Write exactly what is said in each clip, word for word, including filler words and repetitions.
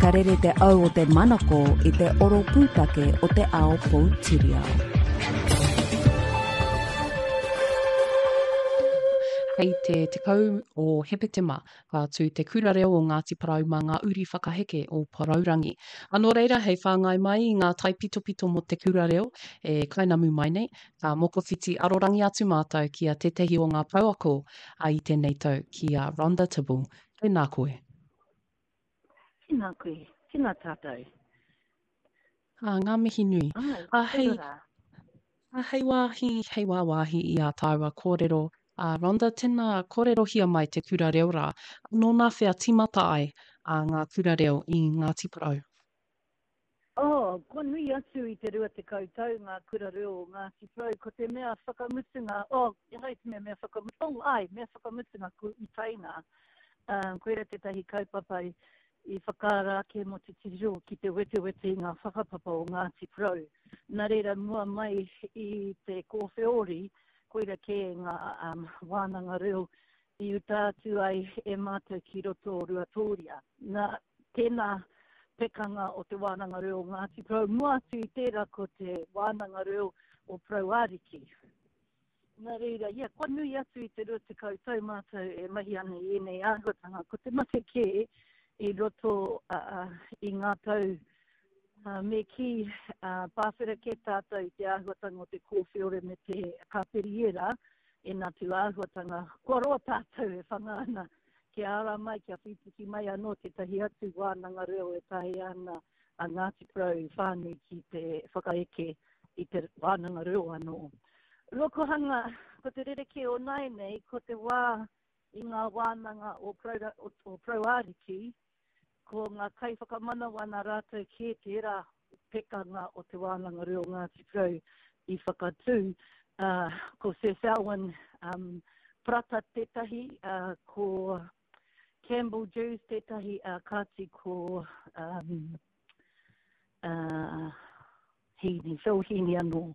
Ka rere te au o te manako i te oro pūtake o te ao poutiriao. Hei te tekau o Hepetema, ka tū te kura reo o Ngāti Porou mā ngā uri whakaheke o Porourangi. A nō reira, hei whāngai mai i ngā taipitopito mō te kura reo e kainamu mai nei, ka mokowhiti arorangi atu mātou ki a tētahi o ngā pouako a i tēnei tau, ki a Rhonda Tibble. Tēnā koe. Tēnā koe, tēnā tātou. Ā, ngā mihi nui. Ai, A, hei, kia ora. a, hei wāhi, hei wāwāhi i ā tāua kōrero. A, Rhonda, tēnā kōrerohia mai te kura reo rā. Nō nā whea tīmata ai a ngā kura reo i Ngāti Porou? Oh, kua nui atu i te rua tekau tau ngā kura reo o Ngāti Porou. Ko te mea whakamutunga, oh, ehara i te mea mea whakamutunga, oh, ai, mea whakamutunga ko Utaina. Um, koira tētahi kaupapa i, i whakaara ake mō te titiro ki te wetewete i ngā whakapapa o Ngāti Porou. Nā reira, mua mai i te kōwheori, koira kē ngā um, wānanga reo i uta atu ai e mātou ki roto o Ruatōria. Nā, tēnā pekanga o te wānanga reo o Ngāti Porou, mua atu i tērā ko te wānanga reo o Porou Ariki. Nā reira, ia, kua nui atu i te rua tekau tau mātou e mahi ana i ēnei āhuatanga. Ko te mate kē i roto uh, i ngā tau uh, me kī uh, pāwhera kē tātou i te āhuatanga o te kōwheore me te kāperiera e nā tū āhuatanga. Kua roa tātou e whanga ana kia ara mai, kia whipiki mai anō tētahi atu wānanga reo e taea ana a Ngāti Porou whānui ki te whakaeke i te wānanga reo anō. Rokohanga, ko te rerekē o nāianei, ko te wā i ngā wānanga o Porou, o, o Porou Ariki, ko ngā kaiwhakamanawa nā rātou kē tērā pekanga o te wānanga reo Ngāti Porou i whakatū. Uh, ko Sir Selwyn um, Parata tētahi, uh, ko Campbell Jews tētahi, uh, kāti ko um, uh, Heaney, Phil Heaney anō.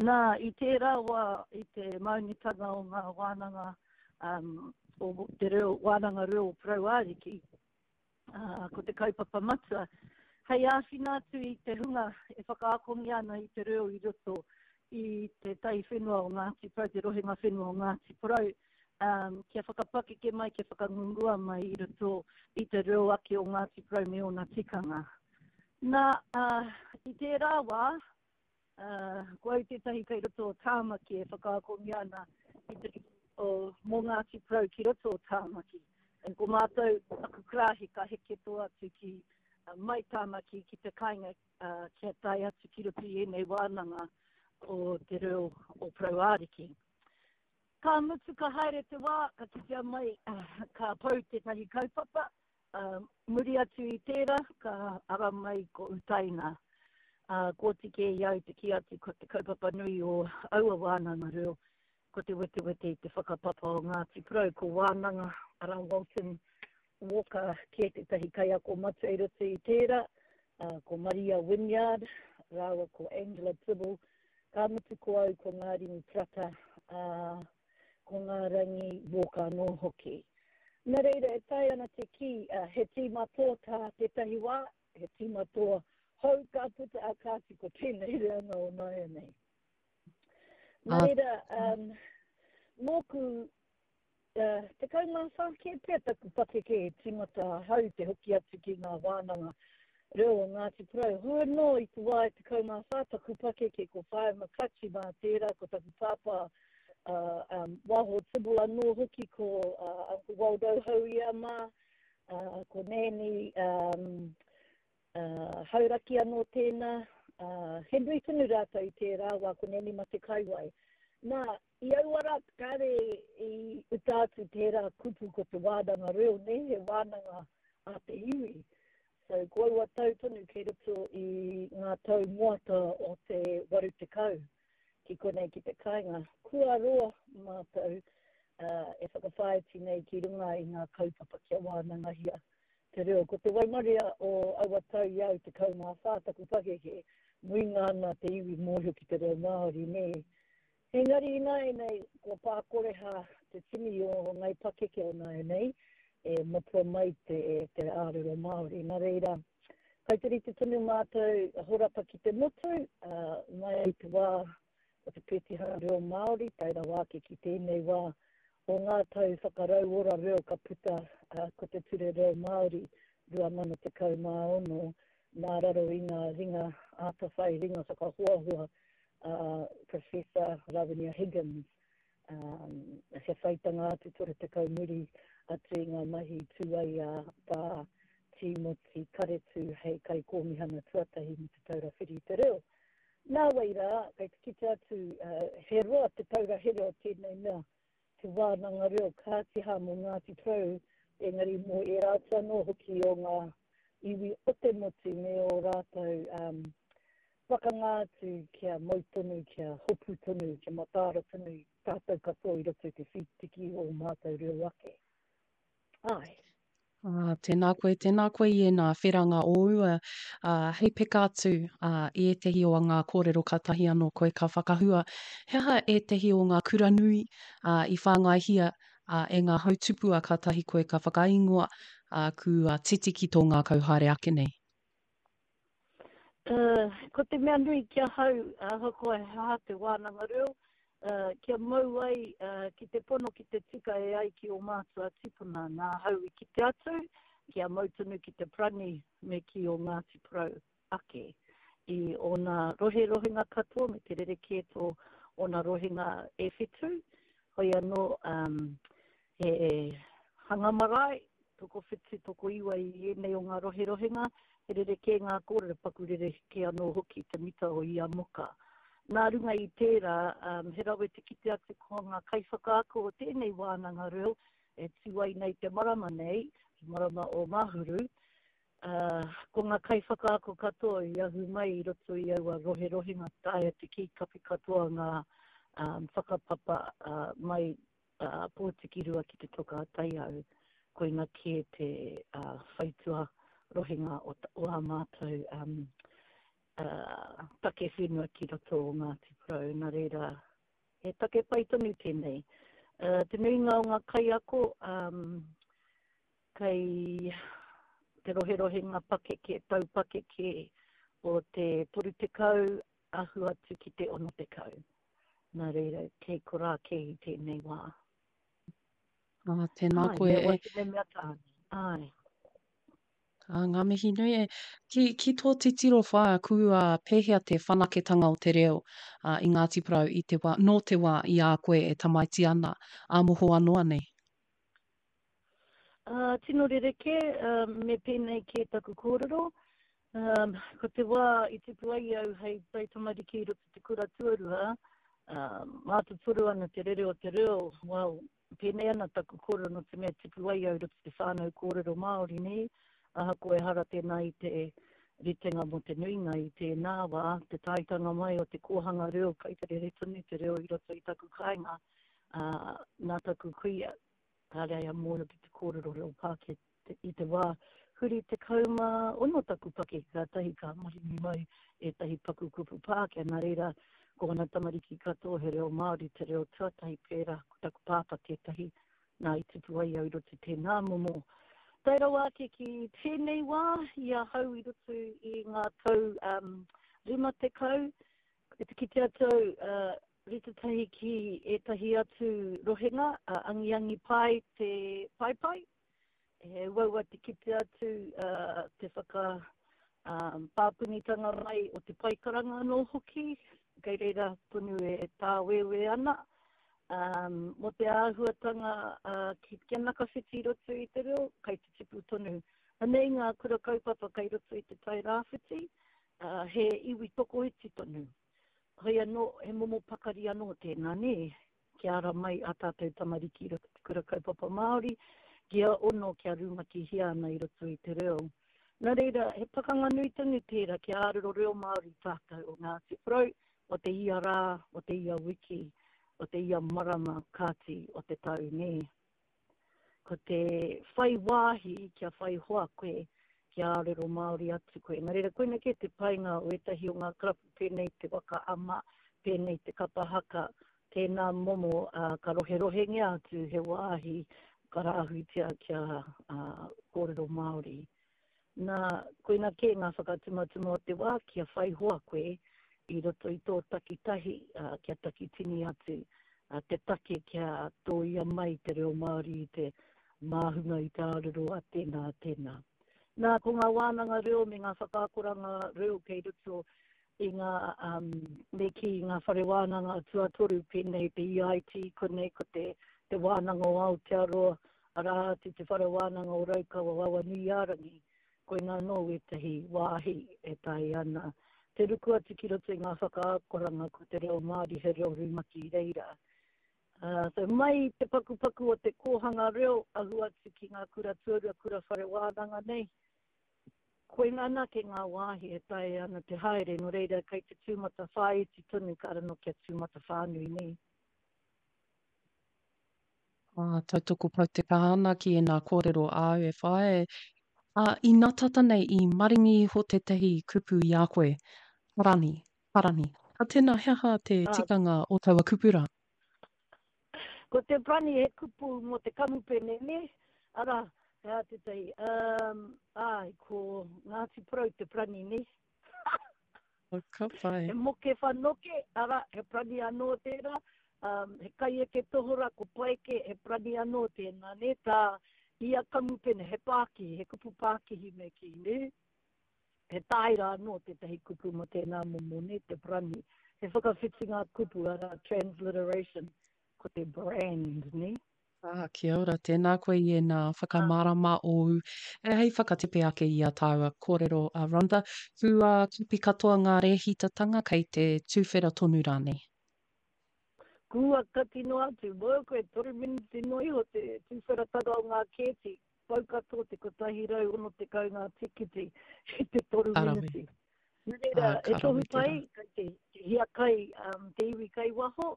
Nā, i tērā wā, i te maunitanga o ngā wānanga, um, o te reo, wānanga reo o Porou Ariki, uh, ko te kaupapa matua, hei āwhina atu i te hunga e whakaakongia ana i te reo i roto i te tai whenua o Ngāti Porou, te rohenga whenua o Ngāti Porou, um, kia whakapakeke mai, kia whakangungua mai i roto i te reo ake o Ngāti Porou me ōna tikanga. Nā, uh, i tērā wā, uh, ko au tētahi kei roto o Tāmaki e whakaakongia ana i te, o, mō Ngāti Porou ki roto o Tāmaki. E ko mātou, aku karāhe ka heke tō atu ki uh, mai Tāmaki ki te kāinga, uh, kia tae atu ki roto i ēnei wānanga o te reo o Porou Ariki. Ka mutu ka haere te wā, ka kitea mai, uh, ka pau tētahi kaupapa, uh, muri atu i tērā, ka ara mai ko Utaina. Uh, ko tike i au te kī atu ko te kaupapa nui o aua wānanga reo, ko te wetewete i te whakapapa o Ngāti Porou, ko wānanga ara Walton Walker kē tētahi kaiako matua i roto i tērā, uh, ko Maria Wynyard, rāua ko Angela Tibble, ka mutu ko au ko Ngārimu Parata, uh, ko Ngārangi Walker anō hoki. Nā reira, e taea ana te kī, uh, he tīma tō tā tētahi wā, he tīma tō hou ka puta a kāti ko tēnei reanga o nāianei. Nā reira, um, mōku, uh, tekau mā whā kē pea taku pakeke e tīmata ahau te hoki atu ki ngā wānanga reo o Ngāti Porou. Hoi anō i te wā e tekau mā whā taku pakeke ko Whaea McClutchie mā tērā, ko taku pāpā uh, um, Waho Tibble anō hoki ko uh, Uncle Waldo Hauia mā, uh, ko Nanny um, uh, Hauraki anō tēnā, uh, he nui tonu rātou i tērā wā ko Nanny Mate Kaiwai. Nā, i aua rā, kāre i uta atu tērā kupu ko te wānanga reo, ne, he wānanga a te iwi. So, ko aua tau tonu kei roto i ngā tau moata o te waru tekau ki konei ki te kāinga. Kua roa mātou uh, e whakawhāiti nei ki runga i ngā kaupapa kia wānangahia te reo. Ko te waimaria o aua tau i au tekau mā whā taku pakeke, nuinga ana te iwi mōhio ki te reo Māori, nē. Engari ināianei, kua pākoreha te tini o ngai pakeke o nāianei, e matua mai te, te ārero Māori. Nā reira, Kai te rite tonu mātou horapa ki te motu, uh, mai i te wā o te pētihana reo Māori, tae rawa ake ki tēnei wā o ngā tau whakarauora reo ka puta uh, ko te Ture Reo Māori rua mano tekau mā ono, nā raro i ngā ringa ātawhai, ringa whakahoahoa uh, Professor Rawinia Higgins. Um, he whaitanga atu toru tekau muri atu i ngā mahi tūai a tā Tīmoti Karetu hei kaikōmihana tuatahi mō te Taura Whiri i te Reo. Nā wai rā, kei te kite atu, uh, he roa te taura here o tēnei mea, te wānanga reo kāti hā mō Ngāti Porou, engari mō ērā atu anō hoki o ngā iwi o te motu me o rātou um, pakanga atu kia mau tonu, kia hopu tonu, kia mataara tonu tātou katoa i roto i te whitiki o mātou reo ake. Ai. Ah, tēnā koe, tēnā koe i ēnā wheranga ōu, uh, hei peka atu uh, i ētehi o ngā kōrero kātahi anō koe ka whakahua. He aha ētehi o ngā kura nui uh, i whāngaihia uh, e ngā hautupua kātahi koe ka whakaingoa uh, kua titi ki tō ngākau haere ake nei? Uh, ko te mea nui ki ahau, ahakoa he aha te wānanga reo, uh, kia mau ai uh, ki te pono ki te tika e ai ki o mātua tipuna, nā hau i kite atu, kia mau tonu ki te parani me ki o Ngāti Porou ake. I ona roherohenga katoa me te rerekē tō ona rohenga e whitu, hoi anō um, he hanga marae, toko whitu, toko iwa i ēnei o ngā roherohenga, he rerekē ngā kōrero, paku rerekē anō hoki te mita o ia moka. Nā runga i tērā, um, he rawe te kite atu ko ngā kaiwhakaako o tēnei wānanga reo, e tū ai nei te marama nei, te marama o Mahuru, uh, ko ngā kaiwhakaako katoa i ahu mai i roto i aua roherohenga taea te kī kapi katoa ngā um, whakapapa uh, mai uh, Pōtikirua ki te toka a Taiau, koina kē te uh, whaitua rohenga o, o ā mātou um, uh, take whenua ki roto o Ngāti Porou. Nā reira, he take pai tonu tēnei. Uh, te nuinga o ngā kaiako, um, kei te roherohenga pakeke, tau pakeke o te toru tekau ahu atu ki te ono tekau. Nā reira, kei korā kē i tēnei wā. Ah, tēnā Ai, koe mea e. wahine mea tāne. Ai. Ah, ngā mihi nui e. Ki, ki tō titiro whaea, kua pēhea te whanaketanga o te reo uh, i Ngāti Porou i te wā, nō te wā i a koe e tamaiti ana, ā mohoa noa nei? Uh, tino rerekē, uh, me pēnei kē taku kōrero. Um, ko te wā i tipu ai au hei taitamariki i roto te kura tuarua, uh, mātotoru ana te rere o te reo, well, pēnei ana taku kōrero nō te mea tipu ai au i roto te whānau kōrero Māori nei, ahakoa ehara tēnā i te ritenga mō te nuinga i tēnā wā, te taitanga mai o te kōhanga reo, kai te rere tonu te reo i roto i taku kāinga, uh, nā taku kuia, kāre ai a mōhio ki te kōrero reo Pākehā i te wā, huri te kaumā ono taku pakeke, kātahi ka maringi mai ētahi paku kupu Pākehā, nā reira, ko ana tamariki katoa he reo Māori, te reo tuatahi pērā, ko taku pāpā tētahi, nā i tipu ai au i roto tēnā momo. Tae rawa ake ki tēnei wā, i ahau i roto i ngā tau um, rima tekau, e te kite atu au, uh, rite tahi ki ētahi atu rohenga, uh, angiangi pai te paepae, he uaua te kite atu uh, te whaka um, pāpunitanga mai o te paikaranga anō hoki, kei reira tonu e tāwewe ana. Um, mō te āhuatanga uh, ki, kia nakawhiti i roto i te reo, kei te tipu tonu. Anei ngā kura kaupapa kei roto i te tai rāwhiti, uh, he iwi tokoiti tonu. Hoi anō, he momo pakari anō tēnā, nē, kia ara mai a tātou tamariki i roto te kura kaupapa Māori, kia ono kia rumakihia ana i roto i te reo. Nā reira, he pakanga nui tonu tērā kia ārero reo Māori tātou o Ngāti Porou, o te ia rā, o te ia wiki, o te ia marama kāti o te tau, nē. Ko te whai wāhi kia whai hoa koe, kia ārero Māori atu koe. Nā reira, koina kē te painga o ētahi o ngā karapu pēnei te waka ama, pēnei te kapa haka, tēnā momo uh, ka roherohengia atu he wāhi ka rāhuitia kia uh, kōrero Māori. Nā, koina kē ngā whakatumatuma o te wā kia whai hoa koe i roto i tō takitahi, uh, kia takitini atu uh, te take kia tōia mai te reo Māori i te māhunga i te arero a tēnā, a tēnā. Nā, ko ngā wānanga reo me ngā whakaakoranga reo kei roto i ngā, um, me kī, ngā whare wānanga tuatoru pēnei te E I T, konei ko te, te wānanga o Aotearoa, arā atu te whare wānanga o Raukawa Awanuiārangi, koina anō wētahi wāhi e tae ana. Te ruku atu ki roto i ngā whakaakoranga ko te reo Māori he reo rumaki i reira. Uh, so mai te pakupaku o te kōhanga reo ahu atu ki ngā kura tuarua, kura whare wānanga nei, koina anake ngā wāhi e tae ana te haere, nō reira kei te tūmata whāiti tonu ka rano kia tūmata whānui nei. Ah, tautoko pau te kaha ana ki ēnā kōrero āu e whae. Ah, i nā tata nei i maringi iho tētahi kupu i a koe, parani, parani. A tēnā, he aha te Ah. tikanga o taua kupu rā? Ko te parani he kupu mō te kamupene, ne? Arā, he aha tētahi, um, ai, ko Ngāti Porou te parani, ne? Oh, ka pai. He moke whanoke, arā, he parani anō tērā. Um, he kaieke tohora, ko Paeke, he parani anō tēnā, ne? Tā ia kamupene, he pākihi, he kupu pākihi me kī, ne? He tāira anō tētahi kupu mō tēnā momo, ne? Te parani. He whakawhitinga kupu, arā, transliteration, ko te brand, ne? Ah, kia ora, tēnā koe i ēnā whakamārama ōu. E hei whakatepe ake i a tāua kōrero a Rhonda, kua kapi katoa ngā rēhitatanga kei te tūwhera tonu rānei? Kua kati noa atu, mōu koe toru miniti noa iho te tūwheratanga o ngā kēti, pau katoa te kotahi rau ono tekau ngā tikiti i te toru Ka rawe. miniti. Nā reira, Ah, he ka tohu rawe pai, tērā. kei te, te hiakai, um, te iwi kai waho,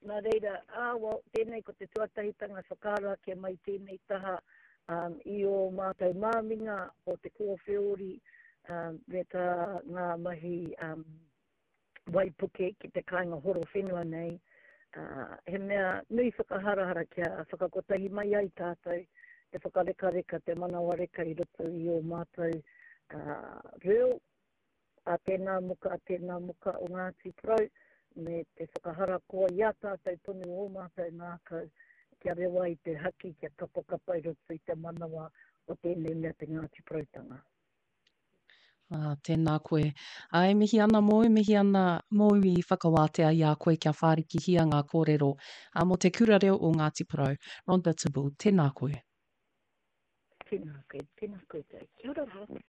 nā reira, ah, well, tēnei ko te tuatahitanga whakaaro ake mai tēnei taha, um, i o mātou māminga o te kōwheori, um, me tā ngā mahi, um, waipuke ki te kāinga horo whenua nei. Uh, he mea nui whakaharahara kia whakakotahi mai ai tātou te whakarekareka, te manawareka i roto i o mātou, uh, reo, a tēnā muka, a tēnā muka o Ngāti Porou, me te whakaharakoa i a tātou tonu o mātou ngākau, kia rewa i te haki, kia kapakapa i roto i te manawa o tēnei mea te Ngāti Poroutanga. Ah, tēnā koe. Ai, mihi ana mōu, mihi ana mōu i whakawātea i a koe kia whārikihia ngā kōrero. A mō te kura reo o Ngāti Porou, Rhonda Tibble, tēnā koe. Tēnā koe, tēnā koutou. Kia ora rā.